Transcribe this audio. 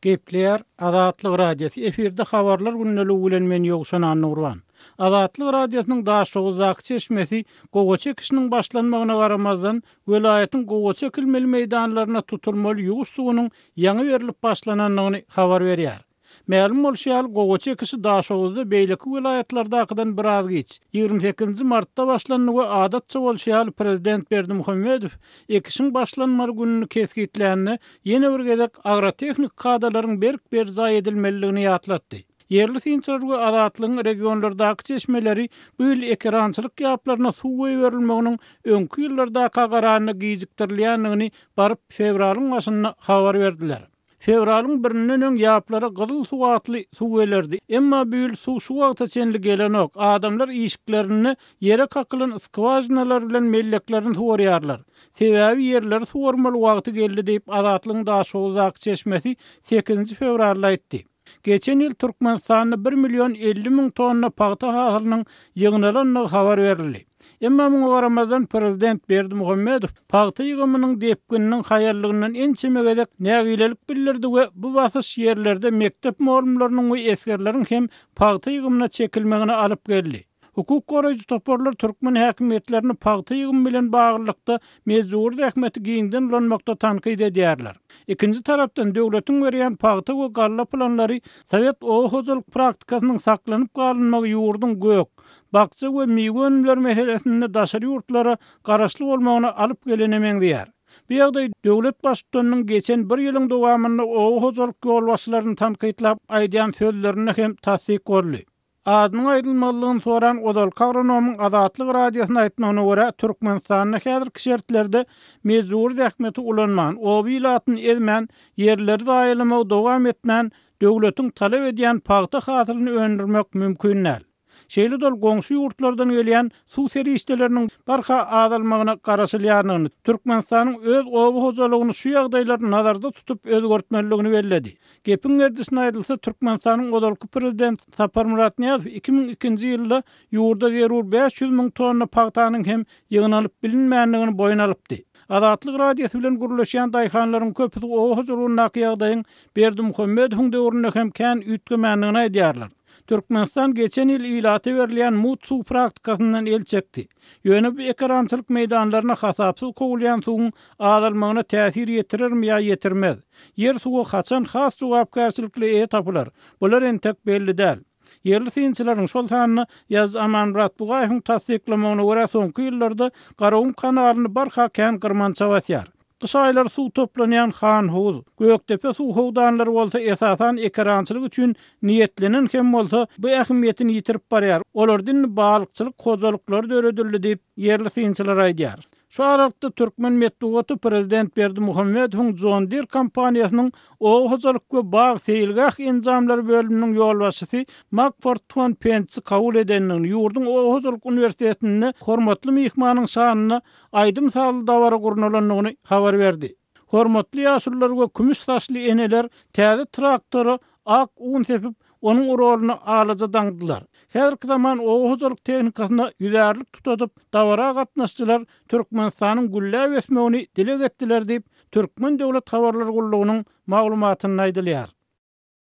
Gepleýär Azatlyk Radiosy, efirde Habarlar gündeligi bilen men Ýowşan Annagurban. Azatlyk Radiosynyň Daşoguzdaky çeşmesi gowaça ekişiniň başlanmagyna garamazdan, welaýatyň gowaça ekilmeli meýdanlaryna tutulmaly ýuwuş suwunyň ýaňy berlip başlanandygyny habar berýär. Mälim bolşy ýaly, gowaça ekişi Daşoguzda beýleki welaýatlardakydan biraz giç, 28-nji martda başlandy we adatça bolşy ýaly prezident Berdimuhamedow ekişiň başlanmaly gününi kesgitlände, ýene bir gezek agrotehniki kadalaryň berk berjaý edilmelidigini ýatlatdy. Ýerli synçylar we Azatlygyň regionlardaky çeşmeleri bu ýyl ekerançylyk ýaplaryna suw goýberilmeginiň öňki ýyllardaka garanda gijikdirilýändigini baryp fewralyň başynda habar berdiler. Fewralyň birinden öň ýaplara gyzyl suw atly suw gelerdi. Emma bu ýyl suw şu wagta çenli gelenok. Adamlar işiklerinde ýere kakylan skwažinalar bilen melleklerini suwarýarlar. Sebäbi ýerleri suwarmaly wagty geldi diýip, Azatlygyň Daşoguzdaky çeşmesi sekizinji fewralda aýtdy. Geçen ýyl Türkmenistanda bir million 50 müň tonna pagta hasylynyň ýygnalandygy habar berildi. Emma muňa garamazdan, prezident Berdimuhamedow pagta ýygymynyň depgininiň haýallygyndan ençeme gezek nägilelik bildirdi we bu basyş ýerlerde mekdep mugallymlarynyň we esgerleriň hem pagta ýygymyna çekilmegine alyp geldi. Hukuk goraýjy toparlar türkmen häkimiýetlerini pagta ýygymy bilen baglylykda mejbury zähmeti giňden ulanmakda tankyt edýärler. Ikinji tarapdan, döwletiň berýän pagta we galla planlary sowet oba hojalyk praktikasynyň saklanyp galynmagy ýurduň gök, bakja we miwe önümleri meselesinde daşary ýurtlara garaşly bolmagyna alyp gelene meňzeýär. Bu ýagdaý döwlet Baştutanynyň geçen bir ýylyň dowamynda oba hojalyk ýolbaşçylaryny tankytlap aýdýan sözlerinde hem tassyk boldy. Adynyň aýdylmazlygyny soran ozalky agronomyň Azatlyk Radiosyna aýtmagyna görä, Türkmenistanda häzirki şertlerde mejbury zähmeti ulanman, oba ilatyny ezmän, ýerleri zaýalamagy dowam etmän, döwletiň talap edýän pagta hasylyny öndürmek mümkin däl. Şeýle-de ol goňşy ýurtlardan gelýän suw serişdeleriniň barha azalmagyna garaşylýandygyny, Türkmenistanyň öz oba hojalygyny şu ýagdaýlary nazarda tutup özgertmelidigini belledi. Gepiň gerdişine aýdylsa, Türkmenistanyň ozalky prezidenti Saparmyrat Nyýazow 2002-nji ýylda ýurda zerur 500 müň tonna pagtanyň hem ýygnalyp bilinmändigini boýun alypdy. Azatlyk Radiosy bilen gürleşýän daýhanlaryň köpüsi oba hojalygyndaky ýagdaýyň Berdimuhamedowyň döwründe hem kän üýtgemändigini aýdýarlar. Türkmenistan geçen ýyl ilata berilýän mugt suw praktikasyndan el çekdi. Ýöne bu ekerançylyk meýdanlaryna hasapsyz kowulýan suwuň azalmagyna täsir ýetirermi ýa ýetirmez? Ýer suwa haçan has jogapkärçilikli eýe tapylar? Bular entek belli däl. Ýerli synçylaryň, şol sanda Ýazyjy Amanmyrat Bugaýewiň tassyklamagyna görä, soňky ýyllarda Garagum kanalyny barha kän gyrmança basýar. Gyş aýlary suw toplanýan Hanhowuz, Gökdepe suw howdanlary bolsa esasan ekerançylyk üçin niýetlenen hem bolsa, bu ähmiýetini ýitirip barýar, olarda indi balykçylyk hojalyklary döredildi diýip, ýerli synçylar aýdýar. Şu aralykda türkmen metbugaty prezident Berdimuhamedowyň John Deere kompaniýasynyň oba hojalyk we bag-seýilgäh enjamlary bölüminiň ýolbaşçysy Makford Ton Pentsi kabul edendigini, ýurduň oba hojalyk uniwersitetinde hormatly myhmanyň şanyna aýdym-sazly dabara gurnalandygyny habar berdi. Hormatly ýaşulular we kümüş saçly eneler täze traktora ak un sepip, onuň roluny alaja daňdylar. Häzirki zaman oba hojalyk tehnikasyna ýüzärlik tutadyp, dabara gatnaşyjylar Türkmenistanyň gülläp ösmegini dileg etdiler diýip, Türkmen döwlet habarlar gullugynyň maglumatynda aýdylýar.